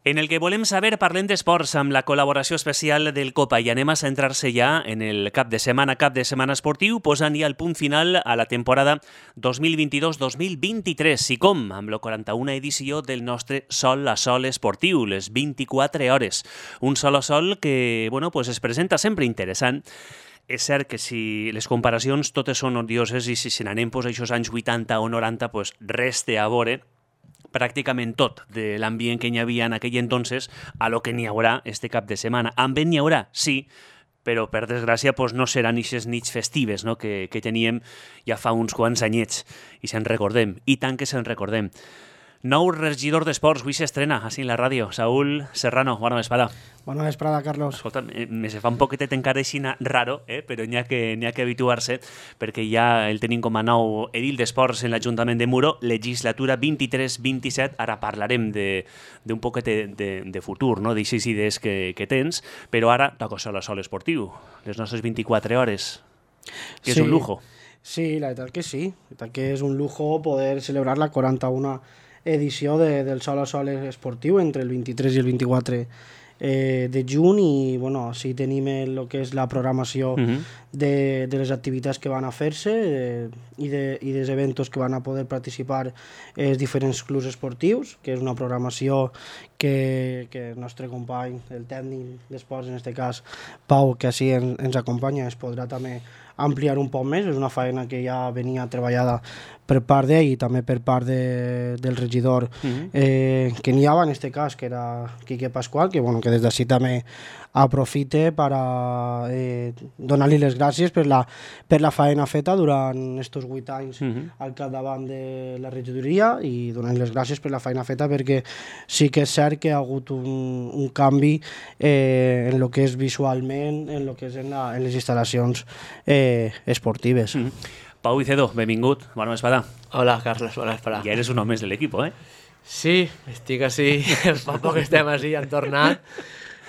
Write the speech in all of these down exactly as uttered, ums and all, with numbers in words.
En el que volem saber parlem d'esports amb la col·laboració especial del Copa i anem a centrar-se ja en el cap de setmana, cap de setmana esportiu, posant ja el punt final a la temporada dos mil vint-i-dos dos mil vint-i-tres. I com? Amb la quaranta-una edició del nostre Sol a Sol esportiu, les vint-i-quatre hores. Un Sol a Sol que, bueno, pues es presenta sempre interessant. És cert que si les comparacions totes són odioses i si se n'anem pues, a aquests anys vuitanta o noranta, pues, res té a veure pràcticament tot de l'ambient que hi havia en aquell entonces a lo que n'hi haurà este cap de setmana. Ambient n'hi haurà, sí, però per desgràcia pues, no seran aquestes nits festives, no? que, que teníem ja fa uns quants anyets i se'n recordem, i tant que se'n recordem. Nou regidor d'esports, avui s'estrena així en la ràdio. Saúl Serrano, bona vesprada. Bona vesprada, Carlos. Escolta, me se fa un poquetet encara així raro, eh? però n'hi ha que, n'hi ha que habituar-se, perquè ja el tenim com a nou edil d'esports en l'Ajuntament de Muro, legislatura vint-i-tres vint-i-set. Ara parlarem d'un poquet de, de, de futur, no? d'aixes idees que, que tens, però ara toca Sol a Sol esportiu, les nostres vint-i-quatre hores, que és sí, un lujo. Sí, la veritat que sí. La veritat que és un lujo poder celebrar la quaranta-una edició de, del Sol a Sol esportiu entre el vint-i-tres i el vint-i-quatre eh, de juny i bueno, sí tenim el que és la programació uh-huh. de, de les activitats que van a fer-se eh, i, de, i dels eventos que van a poder participar els diferents clubs esportius, que és una programació que, que el nostre company, el tècnic d'esports, en aquest cas Pau, que així en, ens acompanya, es podrà també ampliar un poc més. És una feina que ja venia treballada per part d'ell i també per part de, del regidor uh-huh. eh, que n'hi havia en aquest cas, que era Quique Pasqual, que, bueno, que des d'ací també aprofite per a, eh, donar-li les gràcies per la, per la feina feta durant aquests vuit anys uh-huh. al capdavant de la regidoria i donar-li les gràcies per la feina feta, perquè sí que és cert que ha hagut un, un canvi eh, en el que és visualment, en el que és en, la, en les instal·lacions eh, esportives. Uh-huh. Pau Vicedo, benvingut, bona vesprada. Hola, Carlos, bona vesprada. Ja eres un home més de l'equip, eh? Sí, estic així, fa poc estem així, han tornat.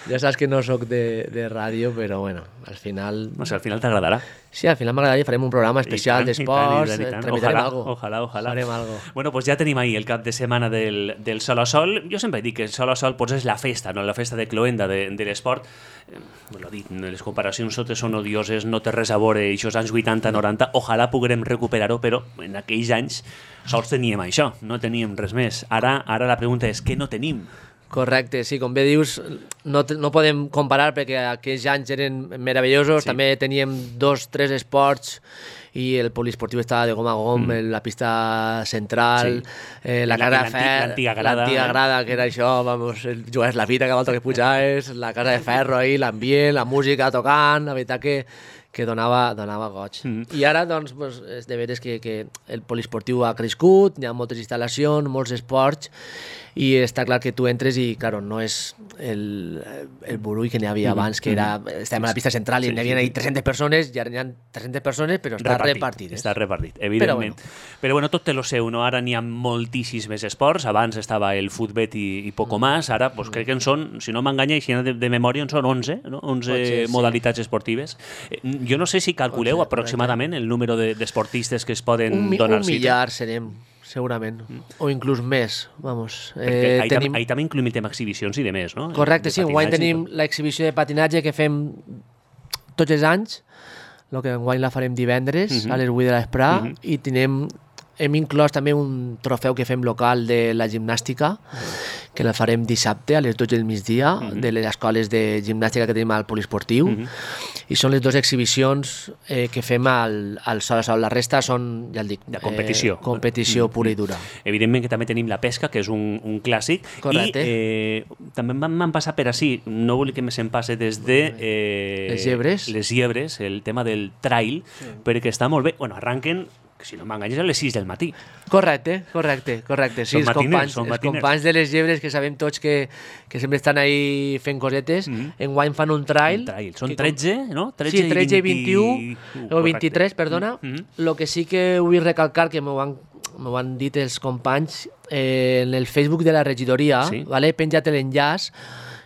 Ja saps que no sóc de, de ràdio, però bueno, al final... No sé, al final t'agradarà. Sí, al final m'agradaria, farem un programa especial d'esports, tramitarem ojalà, algo. Ojalà, ojalà. Farem algo. Bueno, pues ja tenim ahí el cap de setmana del, del Sol a Sol. Jo sempre dic que el Sol a Sol pues, és la festa, no? La festa de cloenda de, de l'esport. Eh, bueno, dit, les comparacions totes són odioses, no té res a veure aquests anys vuitanta noranta. Ojalà puguem recuperar-ho, però en aquells anys sols teníem això, no teníem res més. Ara, ara la pregunta és, què no tenim? Correcte, sí, com bé dius, no, no podem comparar perquè aquells anys eren meravellosos, sí. També teníem dos, tres esports i el poliesportiu estava de gom a gom, mm. la pista central, sí. eh, la, la casa de ferro, l'antiga grada, l'antiga grada, que era això, vamos, jugaves la fita cada volta que pujaves, la casa de ferro ahí, l'ambient, la música tocant, la veritat que que donava, donava goig. Mm. I ara, doncs, pues, és de veres que, que el poliesportiu ha crescut, hi ha moltes instal·lacions, molts esports, i està clar que tu entres i, claro, no és el, el burull que n'hi havia abans, que era, estàvem a la pista central i sí, n'hi havia sí. tres-centes persones, i ara n'hi ha tres-centes persones, però està repartit, repartit. Està repartit, evidentment. Però bueno. però bueno, tot té lo seu, no? Ara n'hi ha moltíssims més esports, abans estava el futbet i, i poco más, ara pues, crec que en són, si no m'enganya, si no de, de memòria, en són onze, no? onze ser, modalitats sí. esportives. Jo no sé si calculeu ser, aproximadament el número d'esportistes que es poden un, donar un cita. Un millar serem, segurament, mm. o inclús més, vamos. Eh, ahí, tenim... ahí també incluïm exhibicions i de més, no? Correcte, sí, enguany tenim l'exhibició de patinatge que fem tots els anys, el que enguany la farem divendres mm -hmm. a les vuit de l'espre, mm -hmm. i tenim, hem inclòs també un trofeu que fem local de la gimnàstica, mm. que la farem dissabte a les dotze del migdia, mm -hmm. de les escoles de gimnàstica que tenim al poliesportiu, mm -hmm. i són les dues exhibicions eh, que fem al, al Sol a Sol. La resta són, ja el dic, de competició, eh, competició mm -hmm. pura i dura. Evidentment que també tenim la pesca, que és un, un clàssic. Correcte. I eh, també m'han passat per així, no vull que me se'n passe des de eh, les llebres. les llebres, el tema del trail, sí. perquè està molt bé. Bueno, arranquen, si no m'enganyes, a les sis del matí. Correcte, correcte, correcte. Sí, els, companys, els companys de les llebres, que sabem tots que, que sempre estan ahí fent cosetes, mm-hmm. enguany fan un trail. Un trail. Són tretze, com... no? tretze sí, tretze i vint-i-u, uh, o vint-i-tres, perdona. Mm-hmm. Lo que sí que vull recalcar, que m'ho han, m'ho han dit els companys, eh, en el Facebook de la regidoria, sí. vale? He penjat l'enllaç,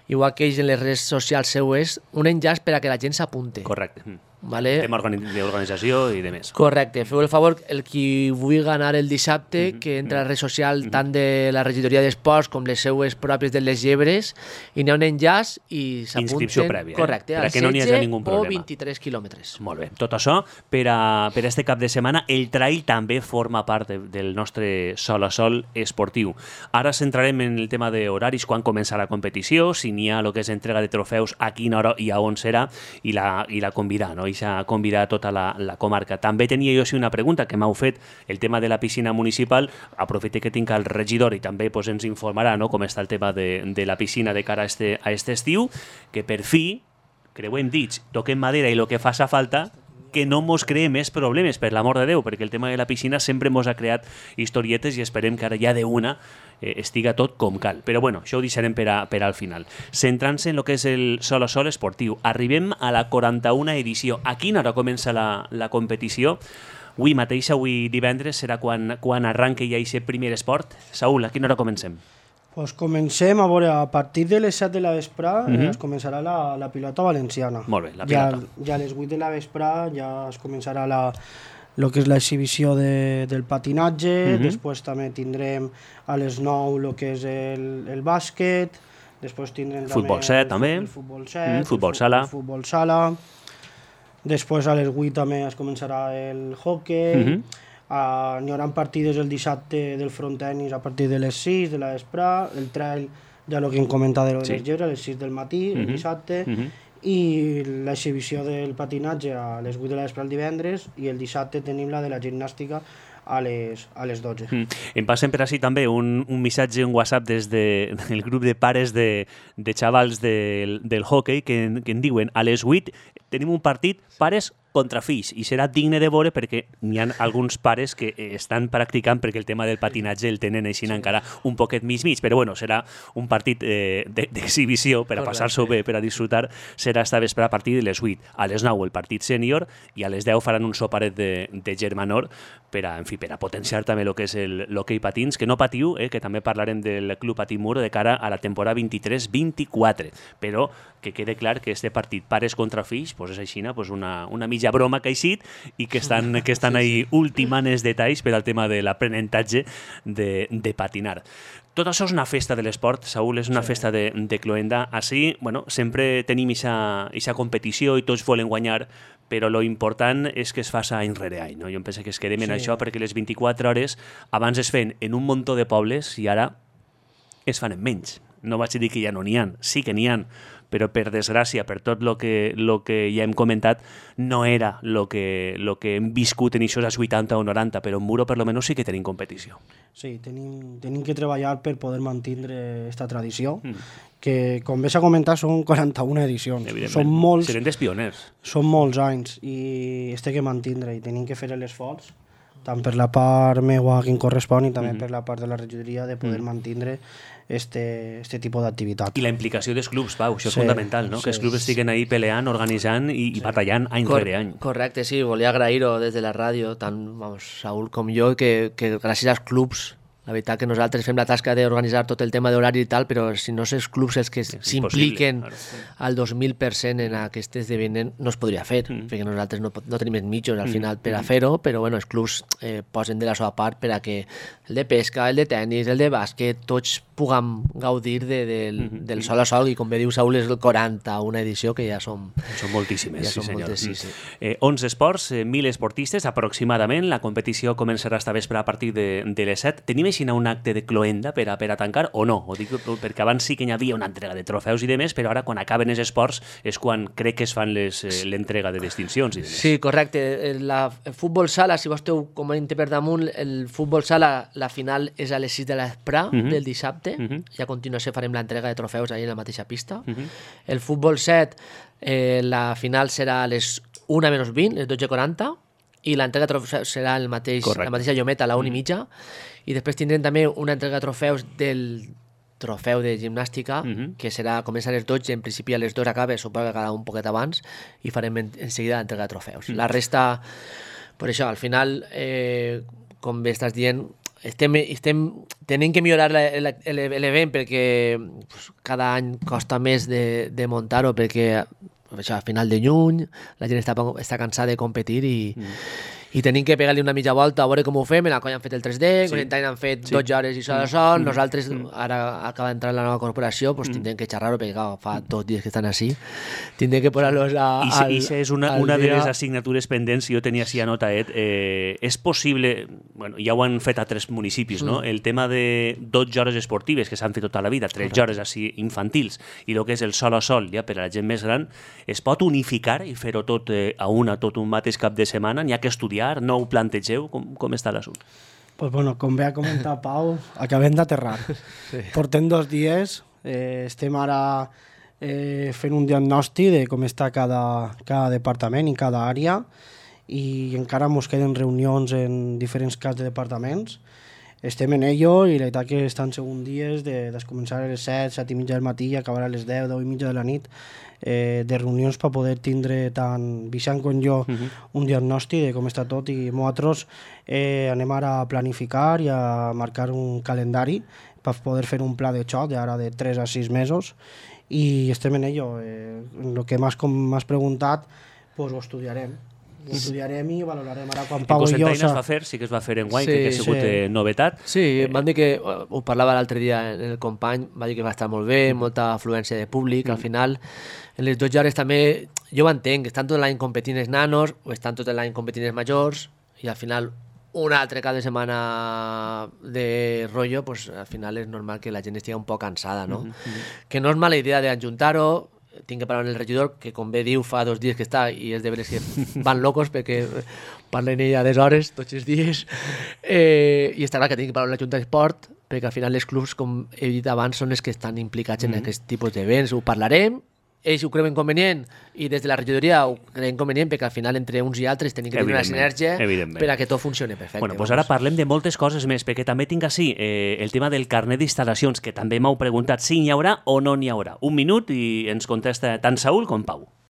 igual que ells en les redes socials seues, un enllaç per a que la gent s'apunte. Correcte. Mm. Vale? Tema d'organització i de més. Correcte. Feu el favor, el qui vulgui anar el dissabte, mm -hmm. que entra a la red social mm -hmm. tant de la regidoria d'esports com les seues pròpies de les Llebres, i n'hi ha un enllaç i s'apunten... Inscripció prèvia. Correcte, eh? al que no setze ningú problema. o vint-i-tres quilòmetres. Molt bé. Tot això, per a, per a este cap de setmana, el trail també forma part de, del nostre sol a sol esportiu. Ara centrarem en el tema d'horaris, quan comença la competició, si n'hi ha el que és entrega de trofeus, a quina hora i a on serà, i la, i la convidar, no? I s'ha convidat tota la, la comarca. També tenia jo sí una pregunta que m'heu fet, el tema de la piscina municipal. Aprofite que tinc el regidor i també pues, ens informarà, no?, com està el tema de, de la piscina de cara a este, a este estiu, que per fi, creuem dits, toquem madera i el que faça falta, que no mos cree més problemes, per l'amor de Déu, perquè el tema de la piscina sempre mos ha creat historietes i esperem que ara ja d'una eh, estiga tot com cal. Però bueno, això ho deixarem per, a, per al final. Centrant-se en el que és el sol a sol esportiu, arribem a la quaranta-una edició. A quina hora comença la, la competició? Avui mateix, avui divendres, serà quan, quan arranca ja aquest primer esport. Saúl, a quina hora comencem? Pues comencem a veure, a partir de les set de la vesprà Mhm. eh, es començarà la, la pilota valenciana. Molt bé, la Ja, pilota. ja a les vuit de la vesprà ja es començarà la, lo que és l'exhibició de, del patinatge, Mhm. després també tindrem a les nou el que és el, el bàsquet, després tindrem Futbol també set, el, també. el futbol set, Mm, el futbol fu- sala. el futbol sala, després a les vuit també es començarà el hockey, Mhm. Uh, n'hi haurà partides el dissabte del frontenis a partir de les sis de la vesprà, el trail ja el que hem comentat de, lo de Sí. les llebres a les sis del matí, el Mhm. dissabte, Mhm. i l'exhibició del patinatge a les vuit de la vesprà el divendres, i el dissabte tenim la de la gimnàstica a les, a les dotze. Mm. Em passen per així també un, un missatge, un WhatsApp des de, del grup de pares de, de xavals del, del hockey que, en- que en diuen a les vuit tenim un partit pares contra fills, i serà digne de veure perquè n'hi ha alguns pares que eh, estan practicant perquè el tema del patinatge el tenen així encara un poquet mig mig, però bueno, serà un partit eh, de- d'exhibició per a Correcte. passar-s'ho bé, per a disfrutar, serà esta vespre a partir de les vuit. A les nou el partit sènior i a les deu faran un soparet de, de germanor per a, en fi, per a potenciar també el que és el- l'hoquei patins, que no patiu, eh, que també parlarem del Club Patimur de cara a la temporada vint-i-tres vint-i-quatre, però que quede clar que este partit pares contra fills pues és aixina, pues una, una mitja broma que ha eixit i que estan, que estan ahí ultimant els detalls per al tema de l'aprenentatge de, de patinar. Tot això és una festa de l'esport, Saúl, és una sí. festa de, de cloenda. Així, bueno, sempre tenim aquesta competició i tots volen guanyar, però lo important és que es faça any rere any. No? Jo em penso que es quedem en Sí. això perquè les vint-i-quatre hores abans es feien en un muntó de pobles i ara es fan en menys. No vaig dir que ja no n'hi ha, sí que n'hi ha, però per desgràcia, per tot el que, lo que ja hem comentat, no era el que, lo que hem viscut en aquests vuitanta o noranta, però en Muro per lo menos sí que tenim competició. Sí, tenim, tenim que treballar per poder mantenir aquesta tradició, Mm. que, com bé s'ha comentat, són quaranta-una edicions. Evidentment. Són molts, Serem dels pioners. són molts anys i es té que mantindre i tenim que fer l'esforç, tant per la part meua que em correspon i també Mhm. per la part de la regidoria, de poder Mhm. mantindre este, este tipus d'activitat. I la implicació dels clubs, Pau, això és Sí, fundamental, no? sí. que els clubs estiguen ahí peleant, organitzant i, i batallant any Cor rere any. Correcte, sí, volia agrair-ho des de la ràdio, tant vamos, Saúl com jo, que, que gràcies als clubs, la veritat que nosaltres fem la tasca d'organitzar tot el tema d'horari i tal, però si no són els clubs els que És s'impliquen impossible, claro. al dos mil per cent en aquest esdeveniment, no es podria fer, Mm. perquè nosaltres no, pot- no tenim els mitjos al Mm. final per a fer-ho, però bueno, els clubs eh, posen de la seva part per a que el de pesca, el de tennis, el de bàsquet, tots puguem gaudir de, del, Mhm. del sol a sol, i com bé diu Saúl, és el quaranta, una edició que ja som... Són moltíssimes, Ja sí són senyor. moltes, sí, sí. Eh, onze esports, eh, mil esportistes aproximadament. La competició començarà esta vespre a partir de, de les set. Tenim així un acte de cloenda per a, per a tancar o no? Ho dic perquè abans sí que hi havia una entrega de trofeus i de més, però ara quan acaben els esports és quan crec que es fan les, eh, l'entrega de distincions i de més. Sí, correcte. El, la, el futbol sala, si vostè ho comenta per damunt, el futbol sala, la final és a les sis de la vesprà Mhm. del dissabte, Mhm. i a continuació farem l'entrega de trofeus allà en la mateixa pista. Mhm. El futbol set, eh, la final serà a les una menys vint, les dotze quaranta, i l'entrega de trofeus serà el mateix, Correcte. la mateixa llometa a la una i mitja, i després tindrem també una entrega de trofeus del trofeu de gimnàstica, Mhm. que serà, comença a les dotze, en principi a les dues acaba, suposo que acabarà un poquet abans, i farem en, en seguida l'entrega de trofeus. Mm. La resta, per això, al final, eh, com bé estàs dient, estem, estem tenint que millorar la- la- l'event perquè pues, cada any costa més de, de muntar-ho, perquè això, a final de juny, la gent està, està cansada de competir i, mm. i tenim que pegar-li una mitja volta a veure com ho fem. En la colla han fet el tres D, sí. en han fet sí. dotze hores i sol a sol, mm. nosaltres mm. ara acaba d'entrar la nova corporació, pues, mm. tindrem que xerrar-ho perquè clar, fa dos dies que estan així, tindrem que posar-los a... I al, I és una, una de les assignatures pendents, jo tenia així anotat, eh, és possible, bueno, ja ho han fet a tres municipis, mm. no? El tema de dotze hores esportives que s'han fet tota la vida, tretze hores així infantils, i el que és el sol a sol, ja per a la gent més gran, es pot unificar i fer-ho tot eh, a una, tot un mateix cap de setmana? N'hi ha que estudiar? No ho plantegeu? Com, com està l'assumpte? Pues bueno, com bé ha comentat Pau, acabem d'aterrar. Sí. Portem dos dies, eh, estem ara eh, fent un diagnòstic de com està cada, cada departament i cada àrea, i encara ens queden reunions en diferents caps de departaments. Estem en ello i la veritat que estan segon dies de, de començar a les set, set i mitja del matí i acabar a les deu, deu i mitja de la nit, eh, de reunions per poder tindre tant Vicent com jo uh-huh. un diagnòstic de com està tot, i nosaltres eh, anem ara a planificar i a marcar un calendari per poder fer un pla de xoc d'ara de tres a sis mesos, i estem en ello. Eh, en el que m'has, com m'has preguntat, pues ho estudiarem. Ho estudiarem i valorarem ara quan Pau i jo... En Cosentaina es va fer, sí que es va fer en guany, sí, que ha sigut sí. eh, novetat. Sí, eh, van dir que, ho parlava l'altre dia en el company, va dir que va estar molt bé, molta afluència de públic, mm. al final, en les dotze hores també, jo ho entenc, estan tot l'any competint els nanos, o estan tot l'any competint els majors, i al final, un altre cap de setmana de rotllo, pues al final és normal que la gent estigui un poc cansada, no? Mm-hmm. Que no és mala idea d'ajuntar-ho, tinc que parlar amb el regidor, que com bé diu fa dos dies que està, i és de veres que van locos perquè parlen ella des hores, tots els dies, eh, i està clar que tinc que parlar amb la Junta d'Esport, perquè al final els clubs, com he dit abans, són els que estan implicats mm-hmm. en aquest tipus d'events. Ho parlarem, ells ho creuen convenient, i des de la regidoria ho creuen convenient, perquè al final entre uns i altres tenim que tenir una sinergia per a que tot funcioni perfecte. Bueno, doncs ara parlem de moltes coses més, perquè també tinc així eh, el tema del carnet d'instal·lacions, que també m'heu preguntat si n'hi haurà o no n'hi haurà. Un minut i ens contesta tant Saúl com Pau.